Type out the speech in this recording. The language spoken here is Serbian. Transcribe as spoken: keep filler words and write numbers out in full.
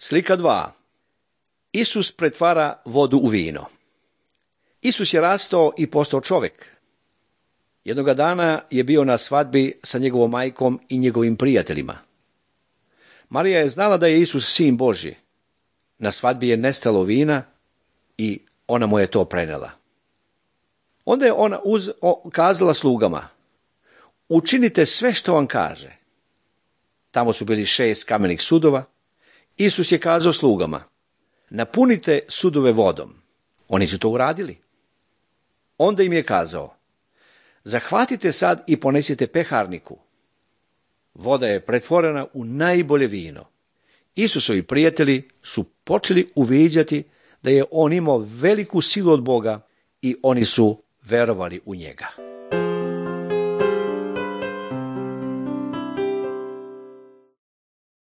Slika dva. Isus pretvara vodu u vino. Isus je rastao i postao čovjek. Jednoga dana je bio na svadbi sa njegovom majkom i njegovim prijateljima. Marija je znala da je Isus sin Božji. Na svadbi je nestalo vina i ona mu je to prenela. Onda je ona uz, o, kazala slugama: učinite sve što vam kaže. Tamo su bili šest kamenih sudova. Isus je kazao slugama: napunite sudove vodom. Oni su to uradili. Onda im je kazao: zahvatite sad i ponesite peharniku. Voda je pretvorena u najbolje vino. Isusovi prijatelji su počeli uviđati da je on imao veliku silu od Boga i oni su verovali u njega.